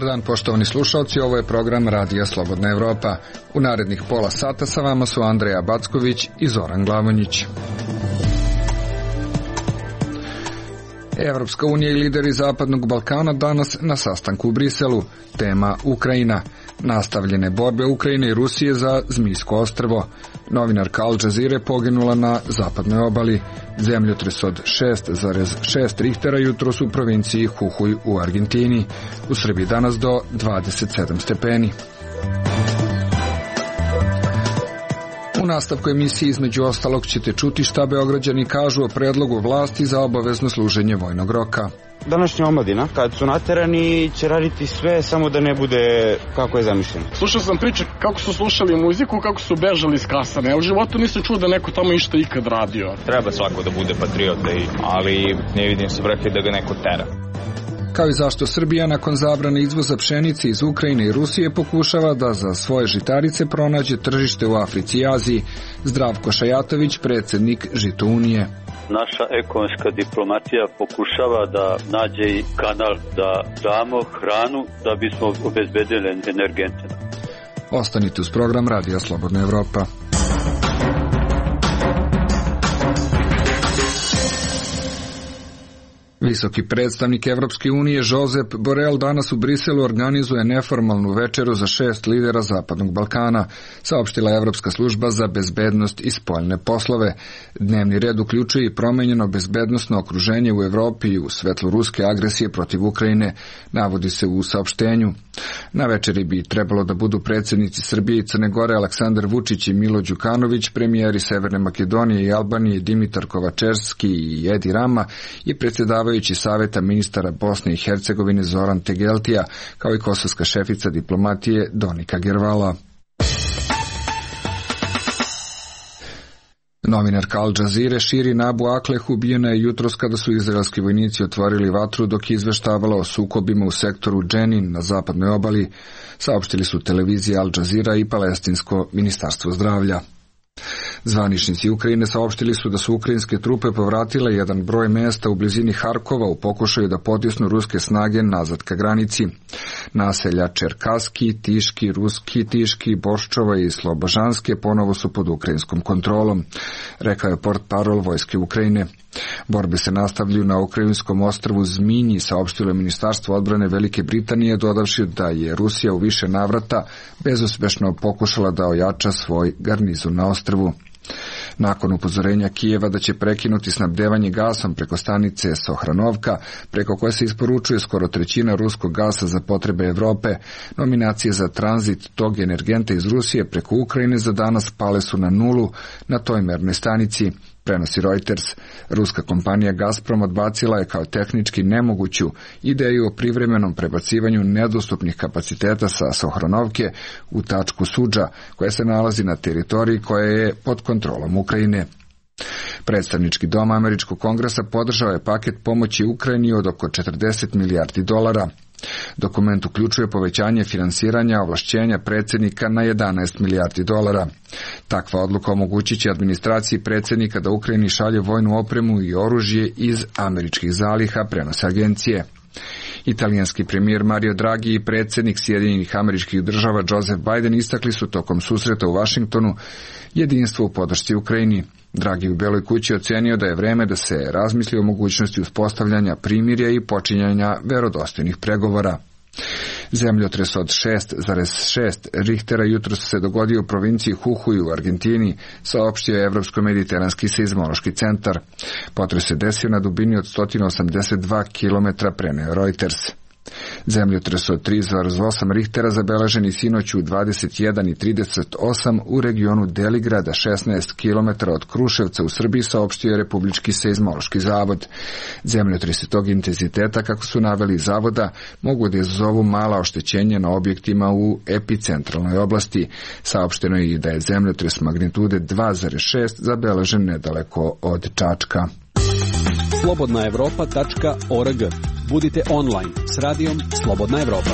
Dobar dan, poštovani slušalci, ovo je program Radija Slobodna Evropa. U narednih pola sata sa vama su Andreja Backović i Zoran Glavonjić. Evropska unija i lideri Zapadnog Balkana danas na sastanku u Briselu. Tema Ukrajina. Nastavljene borbe Ukrajine i Rusije za Zmijsko ostrvo. Novinarka Al Jazeere poginula na zapadnoj obali. Zemljotres od 6,6 Richtera jutros u provinciji Jujuy u Argentini. U Srbiji danas do 27 stepeni. U nastavku emisije između ostalog ćete čuti šta Beograđani kažu o predlogu vlasti za obavezno služenje vojnog roka. Današnja omladina, kad su naterani, će raditi sve samo da ne bude kako je zamišljeno. Slušao sam priče kako su slušali muziku, kako su bežali iz kasane. U životu nisam čuo da neko tamo išta ikad radio. Treba svako da bude patriota, ali ne vidim svrhe da ga neko tera. Kao i zašto Srbija nakon zabrane izvoza pšenice iz Ukrajine i Rusije pokušava da za svoje žitarice pronađe tržište u Africi i Aziji. Zdravko Šajatović, predsjednik Žito Unije. Naša ekonomska diplomatija pokušava da nađe i kanal da damo hranu da bismo obezbedili energente. Ostanite uz program Radija Slobodna Evropa. Visoki predstavnik Evropske unije Josep Borrell danas u Briselu organizuje neformalnu večeru za 6 lidera Zapadnog Balkana, saopštila Evropska služba za bezbednost i spoljne poslove. Dnevni red uključuje i promenjeno bezbednosno okruženje u Evropi i u svetlu ruske agresije protiv Ukrajine, navodi se u saopštenju. Na večeri bi trebalo da budu predsjednici Srbije i Crne Gore Aleksandar Vučić i Milo Đukanović, premijeri Severne Makedonije i Albanije Dimitar Kovačevski i Edi Rama i predsjedavajući Saveta ministara Bosne i Hercegovine Zoran Tegeltija, kao i kosovska šefica diplomatije Donika Gervala. Novinarka Al Jazeere Shirin Abu Akleh ubijena je jutros kada su izraelski vojnici otvorili vatru dok je izveštavala o sukobima u sektoru Dženin na zapadnoj obali, saopštili su televizija Al Jazeera i palestinsko ministarstvo zdravlja. Zvaničnici Ukrajine saopštili su da su ukrajinske trupe povratile jedan broj mesta u blizini Harkova u pokušaju da potisnu ruske snage nazad ka granici. Naselja Čerkaski, Tiški, Ruski, Tiški, Boščova i Slobožanske ponovo su pod ukrajinskom kontrolom, rekao je portparol vojske Ukrajine. Borbe se nastavljaju na ukrajinskom ostrvu Zminji, saopštilo je Ministarstvo odbrane Velike Britanije, dodavši da je Rusija u više navrata bezuspešno pokušala da ojača svoj garnizon na ostrvu. Nakon upozorenja Kijeva da će prekinuti snabdevanje gasom preko stanice Sohranovka, preko koje se isporučuje skoro trećina ruskog gasa za potrebe Evrope, nominacije za tranzit tog energenta iz Rusije preko Ukrajine za danas pale su na nulu na toj mernoj stanici, prenosi Reuters. Ruska kompanija Gazprom odbacila je kao tehnički nemoguću ideju o privremenom prebacivanju nedostupnih kapaciteta sa Sohranovke u tačku Sudža, koja se nalazi na teritoriji koja je pod kontrolom Ukrajine. Predstavnički dom Američkog kongresa podržao je paket pomoći Ukrajini od oko 40 milijardi dolara. Dokument uključuje povećanje finansiranja ovlašćenja predsjednika na 11 milijardi dolara. Takva odluka omogućit će administraciji predsjednika da Ukrajini šalje vojnu opremu i oružje iz američkih zaliha, prenose agencije. Italijanski premijer Mario Draghi i predsjednik Sjedinjenih Američkih Država Joseph Biden istakli su tokom susreta u Vašingtonu jedinstvo u podršci Ukrajini. Draghi u Beloj kući ocenio da je vreme da se razmisli o mogućnosti uspostavljanja primirja i počinjanja verodostojnih pregovora. Zemljotres od 6,6 Richtera jutros se dogodio u provinciji Jujuy u Argentini, saopštio je Evropsko-mediteranski seizmološki centar. Potres se desio na dubini od 182 km, preneo Reuters. Zemljotres od 3,8 Richtera zabeleženi sinoć u 21:38 u regionu Deligrada, 16 km od Kruševca u Srbiji, saopštio je Republički seizmološki zavod. Zemljotresi tog intenziteta, kako su naveli iz zavoda, mogu da izazovu mala oštećenja na objektima u epicentralnoj oblasti. Saopšteno je i da je zemljotres magnitude 2,6 zabeležen nedaleko od Čačka. slobodnaevropa.org. Budite online s radijom Slobodna Evropa.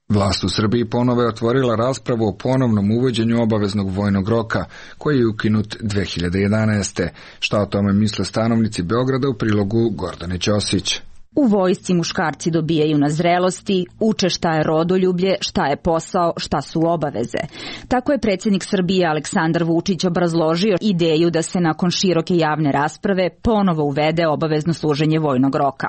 Vlast u Srbiji ponovo je otvorila raspravu o ponovnom uvođenju obaveznog vojnog roka, koji je ukinut 2011. Šta o tome misle stanovnici Beograda u prilogu Gordane Ćosić. U vojsci muškarci dobijaju na zrelosti, uče šta je rodoljublje, šta je posao, šta su obaveze. Tako je predsjednik Srbije Aleksandar Vučić obrazložio ideju da se nakon široke javne rasprave ponovo uvede obavezno služenje vojnog roka.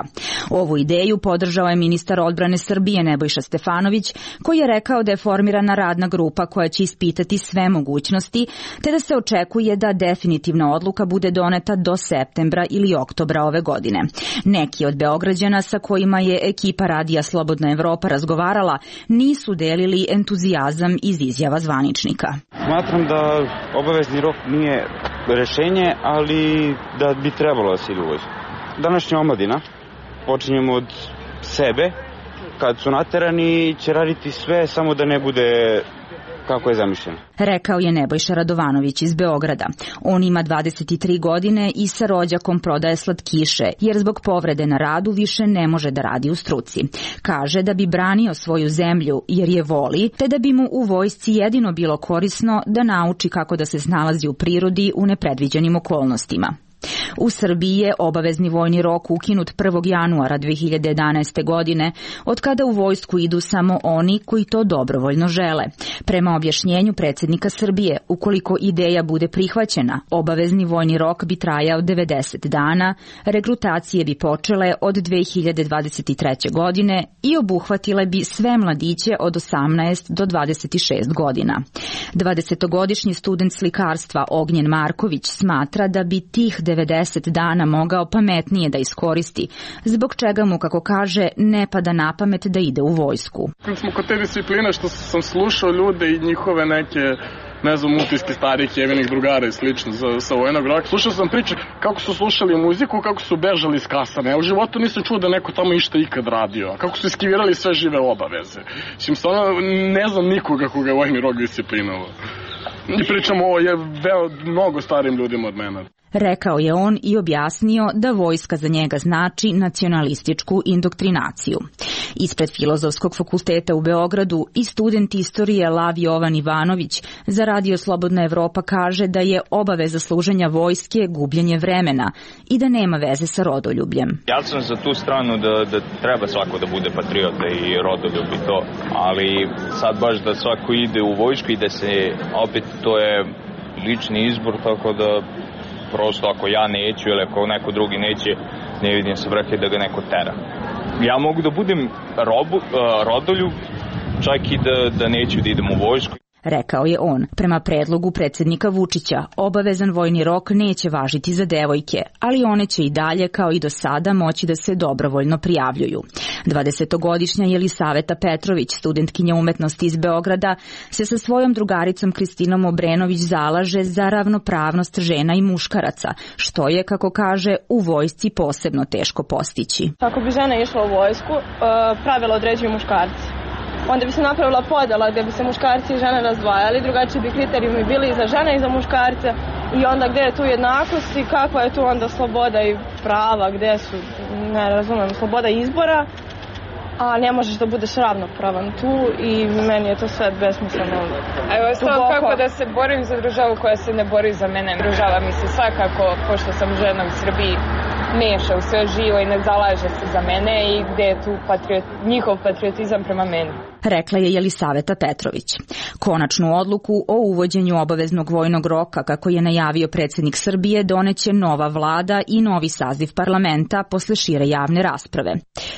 Ovu ideju podržao je ministar odbrane Srbije Nebojša Stefanović, koji je rekao da je formirana radna grupa koja će ispitati sve mogućnosti, te da se očekuje da definitivna odluka bude doneta do septembra ili oktobra ove godine. Neki od Beograđana sa kojima je ekipa Radija Slobodna Evropa razgovarala nisu delili entuzijazam iz izjava zvaničnika. Smatram da obavezni rok nije rešenje, ali da bi trebalo da se ide u vojsku. Današnja omladina, počinjemo od sebe, kad su naterani će raditi sve samo da ne bude kako je zamišljeno. Rekao je Nebojša Radovanović iz Beograda. On ima 23 godine i sa rođakom prodaje slatkiše, jer zbog povrede na radu više ne može da radi u struci. Kaže da bi branio svoju zemlju jer je voli, te da bi mu u vojsci jedino bilo korisno da nauči kako da se snalazi u prirodi u nepredviđenim okolnostima. U Srbiji je obavezni vojni rok ukinut 1. januara 2011. godine, od kada u vojsku idu samo oni koji to dobrovoljno žele. Prema objašnjenju predsjednika Srbije, ukoliko ideja bude prihvaćena, obavezni vojni rok bi trajao 90 dana, regrutacije bi počele od 2023. godine i obuhvatile bi sve mladiće od 18 do 26 godina. 20-godišnji student slikarstva Ognjen Marković smatra da bi tih 90 dana mogao pametnije da iskoristi, zbog čega mu, kako kaže, ne pada na pamet da ide u vojsku. Kad smo kod te discipline što sam slušao ljude i njihove neke, ne znam, utiske starih jevenih drugara i slično sa vojnog roka, slušao sam priče kako su slušali muziku, kako su bežali iz kasane. Ja u životu nisam čuo da neko tamo išta ikad radio, kako su iskivirali sve žive obaveze. Stvarno ne znam nikoga koga je vojni rok disciplinovao. I pričamo o mnogo starim ljudima od mene. Rekao je on i objasnio da vojska za njega znači nacionalističku indoktrinaciju. Ispred Filozofskog fakulteta u Beogradu i student istorije Lav Jovan Ivanović za Radio Slobodna Evropa kaže da je obaveza služenja vojske gubljenje vremena i da nema veze sa rodoljubljem. Ja sam za tu stranu da treba svako da bude patriota i rodoljub i to, ali sad baš da svako ide u vojsku i da se opet to je lični izbor, tako da prosto ako ja neću ili ako neko drugi neće, ne vidim se vrhe da ga neko tera. Ja mogu da budem rodoljub, čak i da neću da idem u vojsku. Rekao je on. Prema predlogu predsjednika Vučića, obavezan vojni rok neće važiti za devojke, ali one će i dalje, kao i do sada, moći da se dobrovoljno prijavljuju. 20-godišnja Jelisaveta Petrović, studentkinja umetnosti iz Beograda, se sa svojom drugaricom Kristinom Obrenović zalaže za ravnopravnost žena i muškaraca, što je, kako kaže, u vojsci posebno teško postići. Ako bi žena išla u vojsku, pravila određuju muškarci. Onda bi se napravila podela gdje bi se muškarci i žene razdvajali, drugačiji bi kriterijumi bili i za žene i za muškarce i onda gdje je tu jednakost i kakva je tu onda sloboda i prava, gdje su, ne razumem, sloboda izbora, a ne možeš da budeš ravnopravan tu i meni je to sve besmisleno. Evo, sad kako da se borim za državu koja se ne bori za mene. Država mi se svakako, pošto sam žena u Srbiji, meša u sve živo i ne zalaže se za mene i gde je tu njihov patriotizam prema meni. Rekla je Jelisaveta Petrović. Konačnu odluku o uvođenju obaveznog vojnog roka, kako je najavio predsjednik Srbije, doneće nova vlada i novi saziv parlamenta posle šire javne rasprave.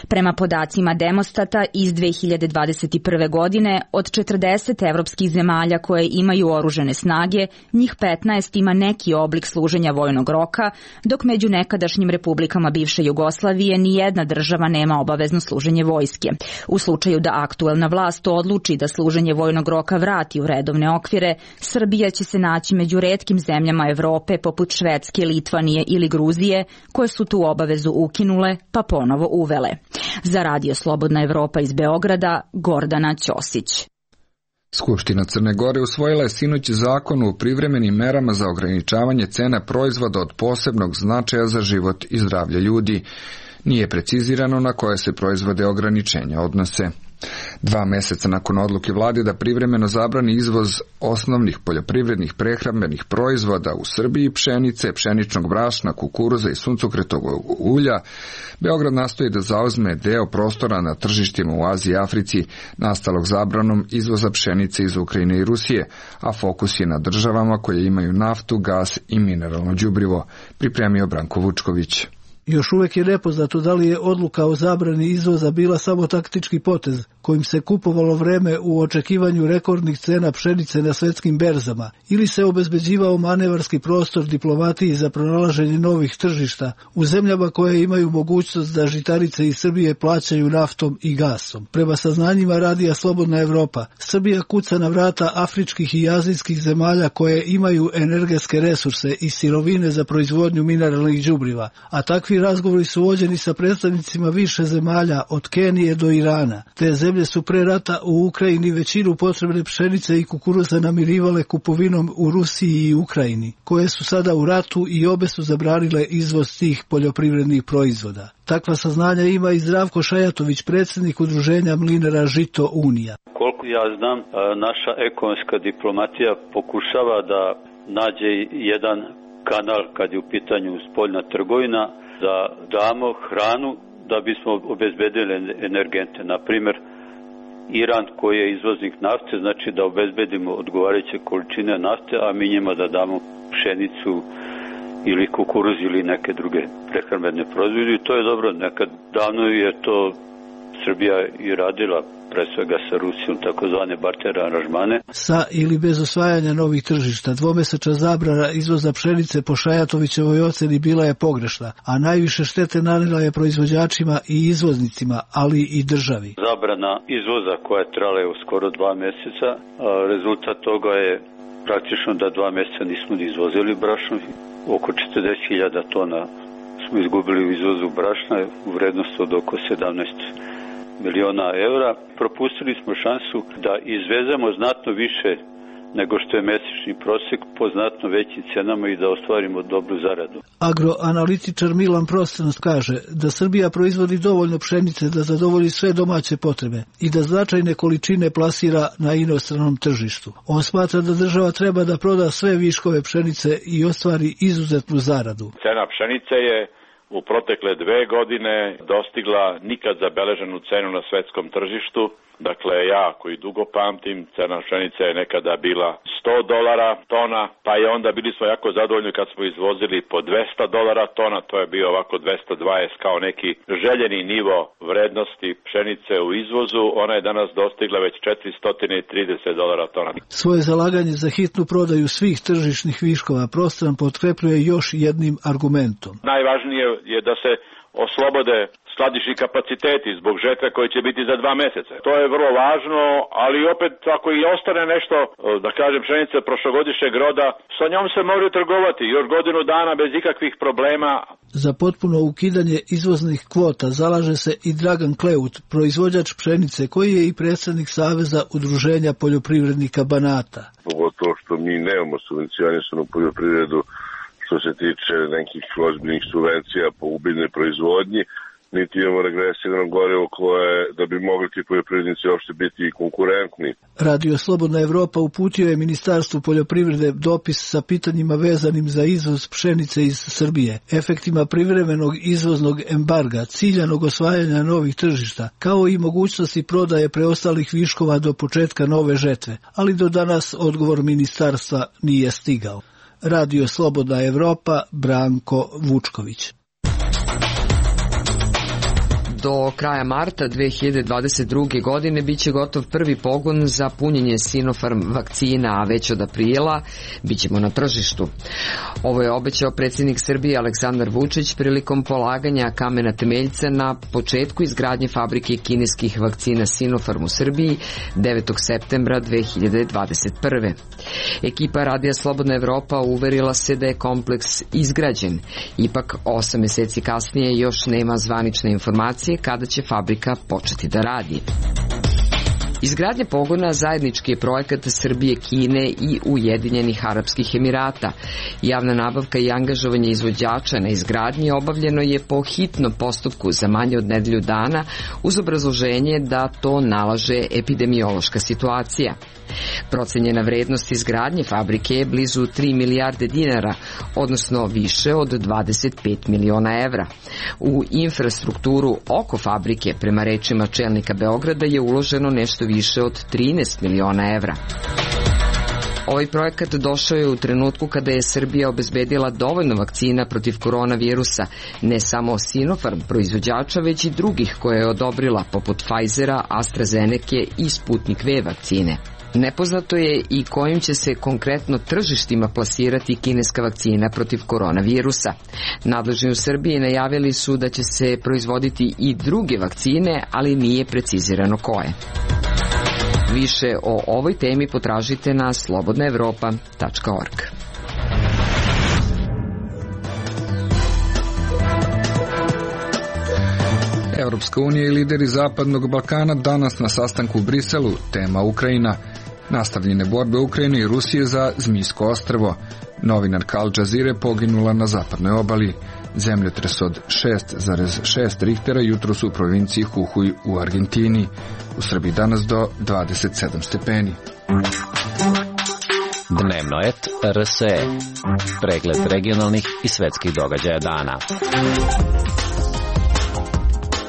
Prema podacima Demostata iz 2021. godine, od 40 evropskih zemalja koje imaju oružane snage, njih 15 ima neki oblik služenja vojnog roka, dok među nekadašnjim republikama bivše Jugoslavije ni jedna država nema obavezno služenje vojske. U slučaju da aktuelna vlast odluči da služenje vojnog roka vrati u redovne okvire, Srbija će se naći među retkim zemljama Evrope poput Švedske, Litvanije ili Gruzije, koje su tu obavezu ukinule pa ponovo uvele. Za Radio Slobodna Evropa iz Beograda, Gordana Ćosić. Skupština Crne Gore usvojila je sinoć zakon o privremenim merama za ograničavanje cena proizvoda od posebnog značaja za život i zdravlje ljudi. Nije precizirano na koje se proizvode ograničenja odnose. 2 meseca nakon odluke vlade da privremeno zabrani izvoz osnovnih poljoprivrednih prehrambenih proizvoda u Srbiji, pšenice, pšeničnog brašna, kukuruza i suncokretovog ulja, Beograd nastoji da zauzme deo prostora na tržištima u Aziji i Africi nastalog zabranom izvoza pšenice iz Ukrajine i Rusije, a fokus je na državama koje imaju naftu, gas i mineralno đubrivo, pripremio Branko Vučković. Još uvijek je nepoznato da li je odluka o zabrani izvoza bila samo taktički potez, kojim se kupovalo vreme u očekivanju rekordnih cena pšenice na svetskim berzama, ili se obezbeđivao manevarski prostor diplomatiji za pronalaženje novih tržišta u zemljama koje imaju mogućnost da žitarice iz Srbije plaćaju naftom i gasom. Prema saznanjima Radija Slobodna Evropa, Srbija kuca na vrata afričkih i azijskih zemalja koje imaju energetske resurse i sirovine za proizvodnju mineralnih đubriva, a takvi razgovori su vođeni sa predstavnicima više zemalja od Kenije do Irana. Te zemlje su pre rata u Ukrajini većinu potrebne pšenice i kukuruza namirivale kupovinom u Rusiji i Ukrajini, koje su sada u ratu i obe su zabranile izvoz tih poljoprivrednih proizvoda. Takva saznanja ima i Zdravko Šajatović, predsjednik udruženja mlinara Žito Unija. Koliko ja znam, naša ekonomska diplomatija pokušava da nađe jedan kanal kad je u pitanju spoljna trgovina, da damo hranu da bismo obezbedili energente. Na primjer, Iran koji je izvoznik nafte, znači da obezbedimo odgovarajuće količine nafte, a mi njima da damo pšenicu ili kukuruz ili neke druge prehrambene proizvode. I to je dobro. Nekad davno je to Srbija i radila, pre svega sa Rusijom, takozvane barter aranžmane. Sa ili bez osvajanja novih tržišta, dvomesečna zabrana izvoza pšenice po Šajatovićevoj oceni bila je pogrešna, a najviše štete nanela je proizvođačima i izvoznicima, ali i državi. Zabrana izvoza koja je trajala skoro 2 meseca, rezultat toga je praktično da 2 meseca nismo ni izvozili brašno, oko 40.000 tona smo izgubili u izvozu brašna u vrednosti od oko 17 miliona evra. Propustili smo šansu da izvezemo znatno više nego što je mesečni prosek po znatno većim cenama i da ostvarimo dobru zaradu. Agroanalitičar Milan Prostans kaže da Srbija proizvodi dovoljno pšenice da zadovolji sve domaće potrebe i da značajne količine plasira na inostranom tržištu. On smatra da država treba da proda sve viškove pšenice i ostvari izuzetnu zaradu. Cena pšenice je u protekle 2 godine dostigla nikad zabeleženu cenu na svetskom tržištu. Dakle, ja koji dugo pamtim, cena pšenice je nekada bila $100 tona, pa je onda bili smo jako zadovoljni kad smo izvozili po $200 tona, to je bio ovako 220 kao neki željeni nivo vrednosti pšenice u izvozu, ona je danas dostigla već $430 tona. Svoje zalaganje za hitnu prodaju svih tržišnih viškova Prostran potkrepljuje još jednim argumentom. Najvažnije je da se oslobode skladišni kapaciteti zbog žetve koje će biti za 2 meseca. To je vrlo važno, ali opet ako i ostane nešto, da kažem, pšenice prošlogodišnjeg roda, sa njom se može trgovati još godinu dana bez ikakvih problema. Za potpuno ukidanje izvoznih kvota zalaže se i Dragan Kleut, proizvođač pšenice, koji je i predsjednik Saveza udruženja poljoprivrednika Banata. Pogotovo što mi nemamo subvencionisanu poljoprivredu što se tiče nekih ozbiljnih subvencija po ubiljnoj proizvodnji, niti imamo regresivno gorivo koje da bi mogli ti poljoprivrednici uopšte biti konkurentni. Radio Slobodna Evropa uputio je Ministarstvu poljoprivrede dopis sa pitanjima vezanim za izvoz pšenice iz Srbije, efektima privremenog izvoznog embarga, ciljanog osvajanja novih tržišta, kao i mogućnosti prodaje preostalih viškova do početka nove žetve, ali do danas odgovor ministarstva nije stigao. Radio Slobodna Evropa, Branko Vučković. Do kraja marta 2022. godine biće gotov prvi pogon za punjenje Sinopharm vakcina, a već od aprila bićemo na tržištu. Ovo je obećao predsjednik Srbije Aleksandar Vučić prilikom polaganja kamena temeljca na početku izgradnje fabrike kineskih vakcina Sinopharm u Srbiji 9. septembra 2021. Ekipa Radija Slobodna Evropa uverila se da je kompleks izgrađen. Ipak 8 mjeseci kasnije još nema zvanične informacije kada će fabrika početi da radi. Izgradnja pogona zajednički je projekat Srbije, Kine i Ujedinjenih Arapskih Emirata. Javna nabavka i angažovanje izvođača na izgradnji obavljeno je po hitnom postupku za manje od nedelju dana uz obrazloženje da to nalaže epidemiološka situacija. Procenjena vrednost izgradnje fabrike je blizu 3 milijarde dinara, odnosno više od 25 miliona evra. U infrastrukturu oko fabrike, prema rečima čelnika Beograda, je uloženo nešto više od 13 miliona evra. Ovaj projekat došao je u trenutku kada je Srbija obezbedila dovoljno vakcina protiv koronavirusa, ne samo Sinopharm proizvođača, već i drugih koje je odobrila, poput Pfizera, AstraZeneca i Sputnik V vakcine. Nepoznato je i kojim će se konkretno tržištima plasirati kineska vakcina protiv koronavirusa. Nadležni u Srbiji najavili su da će se proizvoditi i druge vakcine, ali nije precizirano koje. Više o ovoj temi potražite na slobodnaevropa.org. Evropska unija i lideri Zapadnog Balkana danas na sastanku u Briselu, tema Ukrajina. Nastavljene borbe Ukrajine i Rusije za Zmijsko ostrvo. Novinarka Al Jazeere poginula na zapadnoj obali. Zemljotres od 6,6 Richtera jutros u provinciji Jujuy u Argentini. U Srbiji danas do 27 stepeni. Dnevno et RSE. Pregled regionalnih i svetskih događaja dana.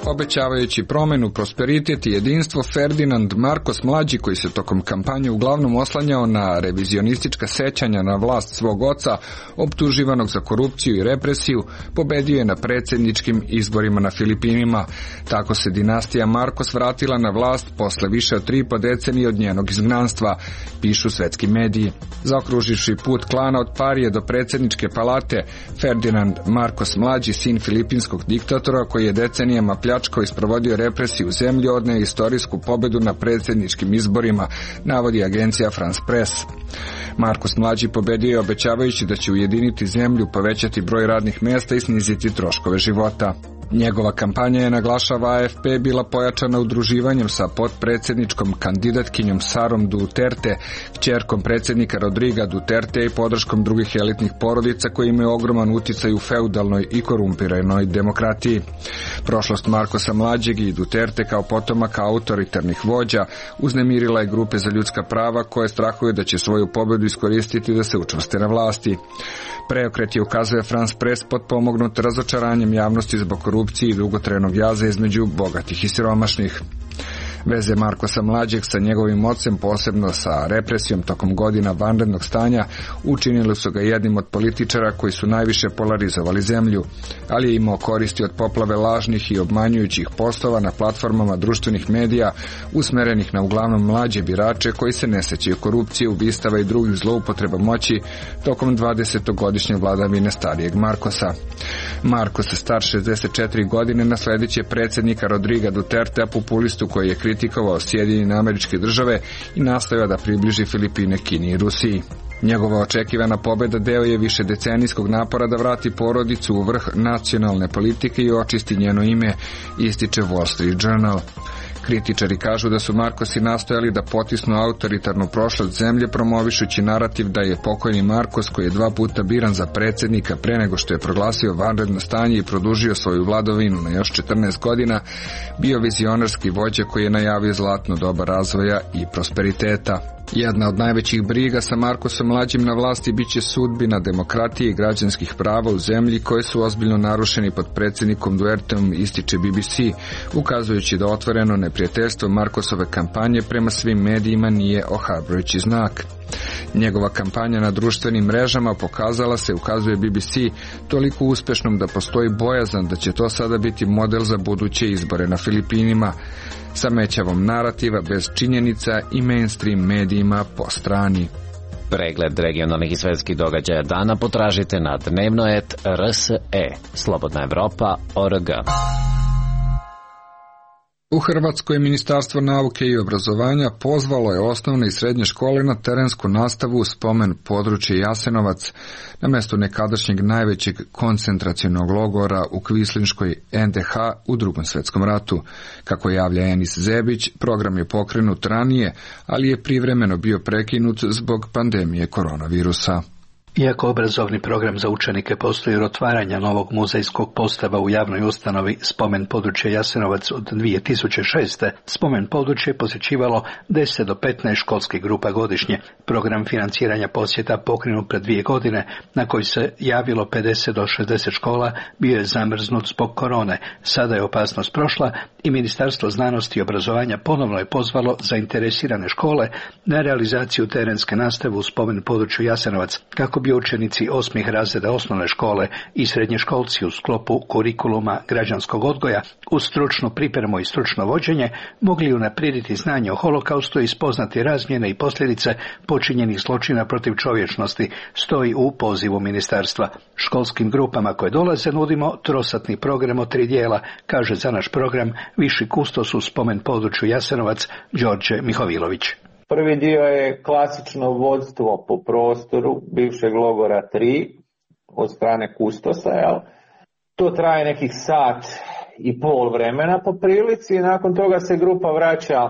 Obećavajući promenu, prosperitet i jedinstvo, Ferdinand Marcos mlađi, koji se tokom kampanje uglavnom oslanjao na revizionistička sećanja na vlast svog oca, optuživanog za korupciju i represiju, pobedio je na predsjedničkim izborima na Filipinima. Tako se dinastija Marcos vratila na vlast posle više od 3,5 decenije od njenog izgnanstva, pišu svetski mediji. Zaokruživši put klana od Parije do predsjedničke palate, Ferdinand Marcos mlađi, sin filipinskog diktatora koji je decenijama pljačkao i sprovodio represiju u zemlji, odneo istorijsku pobedu na predsjedničkim izborima, navodi agencija France Press. Marcos mlađi pobedio je obećavajući da će ujediniti zemlju, povećati broj radnih mjesta i sniziti troškove života. Njegova kampanja je, naglašava AFP, bila pojačana udruživanjem sa potpredsjedničkom kandidatkinjom Sarom Duterte, kćerkom predsjednika Rodriga Duterte i podrškom drugih elitnih porodica koji imaju ogroman uticaj u feudalnoj i korumpiranoj demokratiji. Prošlost Marcosa mlađeg i Duterte kao potomaka autoritarnih vođa uznemirila je grupe za ljudska prava koje strahuju da će svoju pobedu iskoristiti da se učvrste na vlasti. Preokret je, ukazuje France Press, potpomognut razočaranjem javnosti zbog korupcije i dugotrajnog jaza između bogatih i siromašnih. Veze Marcosa mlađeg sa njegovim ocem, posebno sa represijom tokom godina vanrednog stanja, učinili su ga jednim od političara koji su najviše polarizovali zemlju, ali je imao koristi od poplave lažnih i obmanjujućih postova na platformama društvenih medija usmerenih na uglavnom mlađe birače koji se ne sećaju korupcije, ubistava i drugih zloupotreba moći tokom 20-godišnje vladavine starijeg Marcosa. Marcos, star 64 godine, nasledit će predsjednika Rodriga Dutertea, populistu koji je kritikovao Sjedinjene Američke Države i nastojao da približi Filipine Kini i Rusiji. Njegova očekivana pobeda deo je višedecenijskog napora da vrati porodicu u vrh nacionalne politike i očisti njeno ime, ističe Wall Street Journal. Kritičari kažu da su Marcosi nastojali da potisnu autoritarnu prošlost zemlje, promovišući narativ da je pokojni Marcos, koji je 2 puta biran za predsjednika pre nego što je proglasio vanredno stanje i produžio svoju vladavinu na još 14 godina, bio vizionarski vođa koji je najavio zlatno doba razvoja i prosperiteta. Jedna od najvećih briga sa Marcosom mlađim na vlasti biće sudbina demokratije i građanskih prava u zemlji koje su ozbiljno narušeni pod predsjednikom Duterteom, ističe BBC, ukazujući da otvoreno neprijateljstvo Marcosove kampanje prema svim medijima nije ohrabrujući znak. Njegova kampanja na društvenim mrežama pokazala se, ukazuje BBC, toliko uspešnom da postoji bojazan da će to sada biti model za buduće izbore na Filipinima, sa mećavom narativa bez činjenica i mainstream medijima po strani. Pregled regionalnih i svetskih događaja dana potražite na dnevno.rt.rs.e. Slobodna Evropa.org. U Hrvatskoj Ministarstvo nauke i obrazovanja pozvalo je osnovne i srednje škole na terensku nastavu u spomen područje Jasenovac na mjestu nekadašnjeg najvećeg koncentracionog logora u Kvislinškoj NDH u Drugom svjetskom ratu. Kako javlja Enis Zebić, program je pokrenut ranije, ali je privremeno bio prekinut zbog pandemije koronavirusa. Iako obrazovni program za učenike postoji od otvaranja novog muzejskog postava u javnoj ustanovi Spomen područje Jasenovac od 2006. Spomen područje je posjećivalo 10 do 15 školskih grupa godišnje. Program financiranja posjeta pokrenut pred 2 godine, na koji se javilo 50 do 60 škola, bio je zamrznut zbog korone. Sada je opasnost prošla i Ministarstvo znanosti i obrazovanja ponovno je pozvalo zainteresirane škole na realizaciju terenske nastave u Spomen području Jasenovac, kako bi učenici 8. razreda osnovne škole i srednjoškolci u sklopu kurikuluma građanskog odgoja uz stručnu pripremu i stručno vođenje mogli unaprijediti znanje o holokaustu i spoznati razmjene i posljedice počinjenih zločina protiv čovječnosti, stoji u pozivu ministarstva. Školskim grupama koje dolaze nudimo trosatni program od 3 dijela, kaže za naš program viši kustos u Spomen području Jasenovac Đorđe Mihovilović. Prvi dio je klasično vodstvo po prostoru bivšeg logora 3 od strane kustosa. To traje nekih sat i pol vremena po prilici i nakon toga se grupa vraća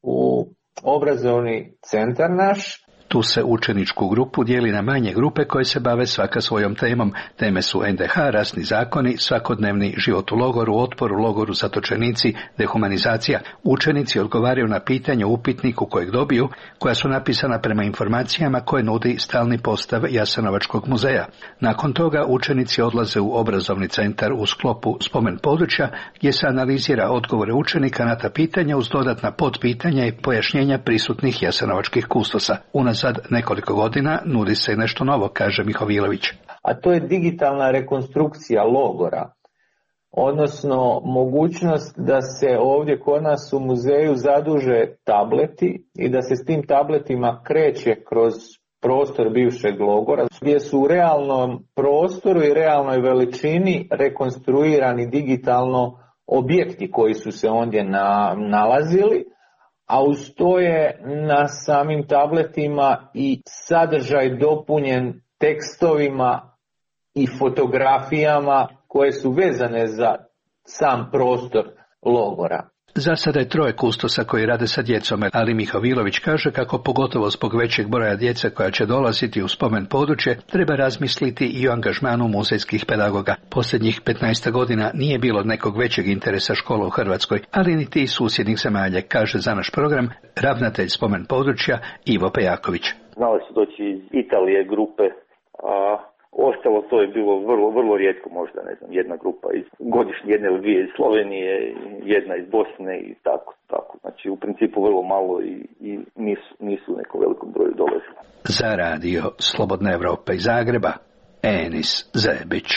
u obrazovni centar naš. Tu se učeničku grupu dijeli na manje grupe koje se bave svaka svojom temom. Teme su NDH, rasni zakoni, svakodnevni život u logoru, otpor u logoru, zatočenici, dehumanizacija. Učenici odgovaraju na pitanje u upitniku kojeg dobiju, koja su napisana prema informacijama koje nudi stalni postav Jasenovačkog muzeja. Nakon toga učenici odlaze u obrazovni centar u sklopu Spomen područja, gdje se analizira odgovore učenika na ta pitanja uz dodatna podpitanja i pojašnjenja prisutnih jasenovačkih kustosa. Unazad nekoliko godina nudi se i nešto novo, kaže Mihovilović. A to je digitalna rekonstrukcija logora, odnosno mogućnost da se ovdje kod nas u muzeju zaduže tableti i da se s tim tabletima kreće kroz prostor bivšeg logora, gdje su u realnom prostoru i realnoj veličini rekonstruirani digitalno objekti koji su se ondje nalazili, a uz to je na samim tabletima i sadržaj dopunjen tekstovima i fotografijama koje su vezane za sam prostor logora. Za sada je 3 kustosa koji rade sa djecom, ali Mihovilović kaže kako pogotovo zbog većeg broja djece koja će dolaziti u Spomen područje treba razmisliti i o angažmanu muzejskih pedagoga. Posljednjih 15 godina nije bilo nekog većeg interesa škola u Hrvatskoj, ali niti iz susjednih zemalja, kaže za naš program ravnatelj Spomen područja Ivo Pejaković. Znali su doći iz Italije grupe, a ostalo to je bilo vrlo rijetko, možda jedna grupa godišnje, jedna ili 2 iz Slovenije, jedna iz Bosne i tako. Znači u principu vrlo malo i nisu u nekom velikom broju dolazili. Za radio Slobodna Evropa iz Zagreba, Enis Zebić.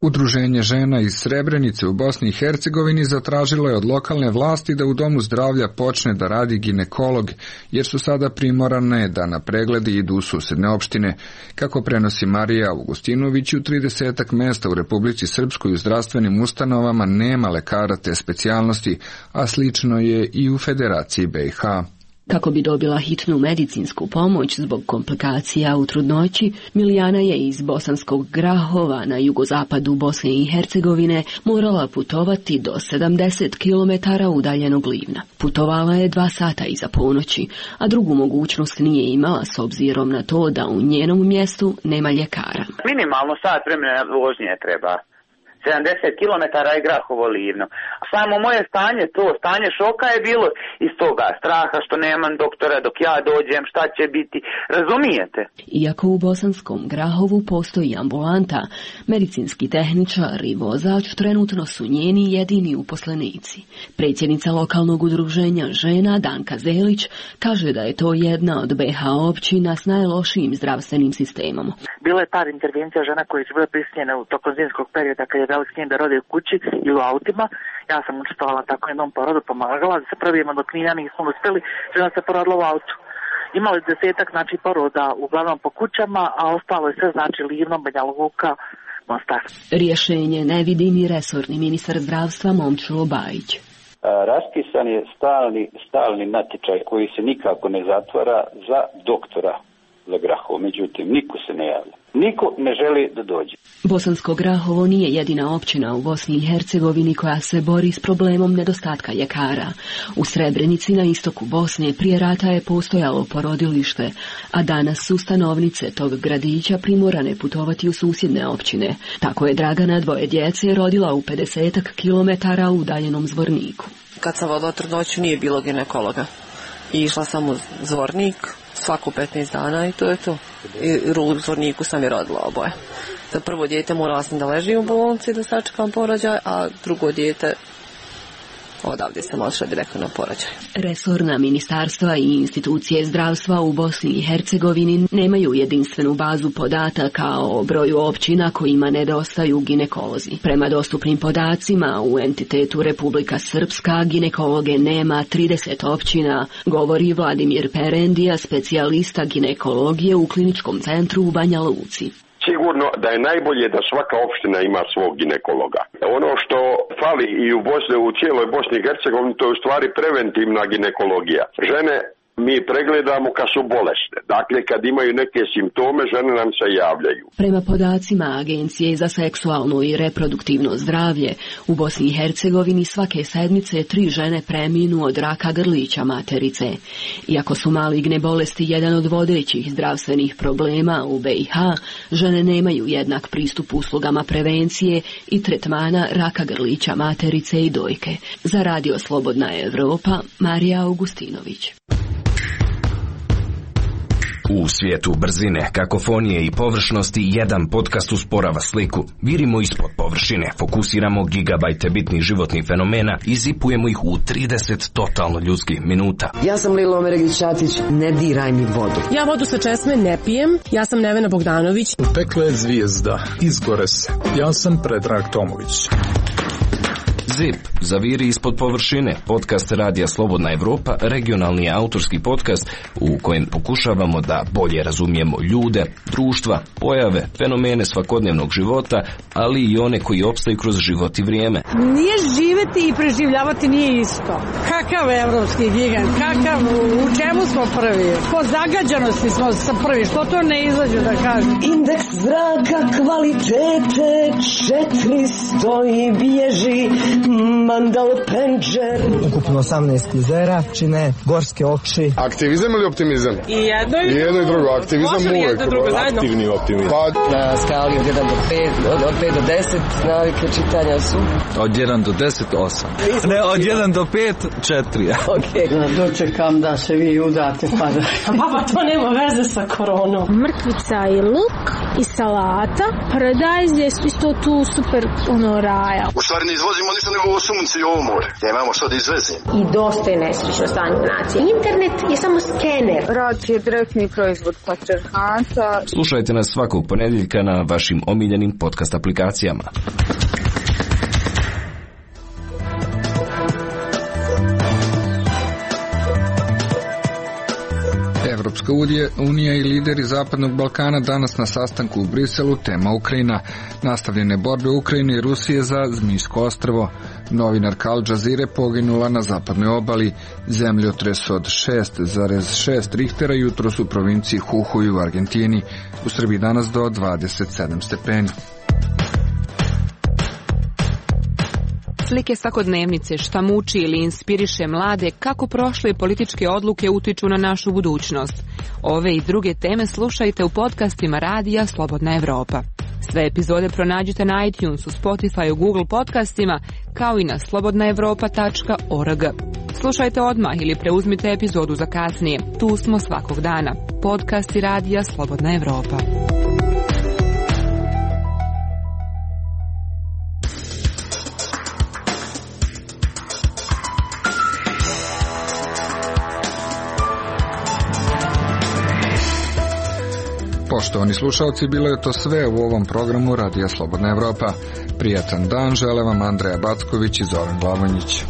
Udruženje žena iz Srebrenice u Bosni i Hercegovini zatražilo je od lokalne vlasti da u domu zdravlja počne da radi ginekolog, jer su sada primorane da na pregledi idu u susedne opštine. Kako prenosi Marija Augustinović, u 30 mjesta u Republici Srpskoj u zdravstvenim ustanovama nema lekara te specijalnosti, a slično je i u Federaciji BiH. Kako bi dobila hitnu medicinsku pomoć zbog komplikacija u trudnoći, Milijana je iz Bosanskog Grahova na jugozapadu Bosne i Hercegovine morala putovati do 70 km udaljenog Livna. Putovala je 2 sata iza ponoći, a drugu mogućnost nije imala s obzirom na to da u njenom mjestu nema ljekara. Minimalno sat vremena vožnje treba. 70 km je Grahovo Livno. Samo moje stanje šoka je bilo iz toga straha što nemam doktora dok ja dođem, šta će biti, razumijete? Iako u Bosanskom Grahovu postoji ambulanta, medicinski tehničar i vozač trenutno su njeni jedini uposlenici. Predsjednica lokalnog udruženja žena Danka Zelić kaže da je to jedna od BiH općina s najlošijim zdravstvenim sistemom. Bilo je par intervencija žena koje su bile prisiljene u tokom zimskog perioda kad je dali s njim da rode u kući ili u autima. Ja sam učestvovala tako jednom porodu, pomagala da se probijemo do Knina, nismo uspjeli, žena se porodila u autu. imali 10-ak znači poroda uglavnom po kućama, a ostalo je sve znači Livno, Banja Luka, Mostar. Rješenje ne vidi ni resorni ministar zdravstva Momčilo Bajić. Raspisan je stalni natječaj koji se nikako ne zatvara za doktora za Grahovo. Međutim, niko se ne javlja. Niko ne želi da dođe. Bosansko Grahovo nije jedina općina u Bosni i Hercegovini koja se bori s problemom nedostatka ljekara. U Srebrenici na istoku Bosne prije rata je postojalo porodilište, a danas su stanovnice tog gradića primorane putovati u susjedne općine. Tako je Dragana 2 djece rodila u 50 kilometara udaljenom Zvorniku. Kad sam vodila trudnoću nije bilo ginekologa. I išla sam u Zvornik svaku 15 dana i to je to. I u Zvorniku sam je rodila oboje. Za prvo dijete morala sam da ležim u bolnici da sačekam porođaj, a drugo dijete odavdje sam odšla direktno na porođaj. Resorna ministarstva i institucije zdravstva u Bosni i Hercegovini nemaju jedinstvenu bazu podataka o broju općina kojima nedostaju ginekolozi. Prema dostupnim podacima u entitetu Republika Srpska ginekologe nema 30 općina, govori Vladimir Perendija, specijalista ginekologije u kliničkom centru u Banja Luci. Sigurno da je najbolje da svaka opština ima svog ginekologa. Ono što fali i u cijeloj Bosni i Hercegovini, to je u stvari preventivna ginekologija. Žene mi pregledamo kad su bolesne. Dakle, kad imaju neke simptome, žene nam se javljaju. Prema podacima Agencije za seksualno i reproduktivno zdravlje, u Bosni i Hercegovini svake sedmice 3 žene preminu od raka grlića materice. Iako su maligne bolesti jedan od vodećih zdravstvenih problema u BiH, žene nemaju jednak pristup uslugama prevencije i tretmana raka grlića materice i dojke. Za Radio Slobodna Evropa, Marija Augustinović. U svijetu brzine, kakofonije i površnosti jedan podcast usporava sliku. Virimo ispod površine, fokusiramo gigabajte bitnih životnih fenomena i zipujemo ih u 30 totalno ljudskih minuta. Ja sam Lilo Omeregić-Ćatić, ne diraj mi vodu. Ja vodu sa česme ne pijem, ja sam Nevena Bogdanović. U peklu je zvijezda, izgore se. Ja sam Predrag Tomović. ZIP, zaviri ispod površine, podcast Radija Slobodna Evropa, regionalni autorski podcast u kojem pokušavamo da bolje razumijemo ljude, društva, pojave, fenomene svakodnevnog života, ali i one koji opstaju kroz život i vrijeme. Nije živeti i preživljavati nije isto. Kakav evropski gigant, u čemu smo prvi? Po zagađanosti smo prvi, što to ne izađe da kažem? Indeks zraka kvalitete 400 i bježi Mandal Penđer. Ukupno 18 klizera čine gorske oči. Aktivizam ili optimizam? I jedno i drugo. Aktivizam uvijek. Aktivni optimizam. Na skali od 1 do 5, od 5 do 10 navike čitanja su? Od 1 do 10, 8. Ne, od 1 do 5, 4. Ok. Dočekam da se vi udate pa da... Baba, to nema veze sa koronom. Mrkvica i luk i salata. Paradajz je isto tu super raja. U stvari ne izvozimo ništa nego ovo sunce i ovo more. Nemamo što da izvezimo. I dosta je nesrećno stanje nacije. Internet je samo skener. Rad je direktni proizvod patrijarhata. Slušajte nas svakog ponedjeljka na vašim omiljenim podcast aplikacijama. Evropska unija i lideri Zapadnog Balkana danas na sastanku u Briselu, tema Ukrajina, nastavljene borbe Ukrajine i Rusije za Zmijsko ostrvo. Novinarka Al Jazeere poginula na zapadnoj obali. Zemljotres od 6,6 Richtera jutros u provinciji Jujuy u Argentini. U Srbiji danas do 27 stepeni. Slike svakodnevnice, šta muči ili inspiriše mlade, kako prošle političke odluke utiču na našu budućnost. Ove i druge teme slušajte u podcastima Radija Slobodna Evropa. Sve epizode pronađite na iTunesu, Spotify, Google podcastima, kao i na slobodnaevropa.org. Slušajte odmah ili preuzmite epizodu za kasnije. Tu smo svakog dana. Podcasti Radija Slobodna Evropa. Poštovani slušalci, bilo je to sve u ovom programu Radija Slobodna Evropa. Prijatan dan žele vam Andreja Backović i Zoran Glavonjić.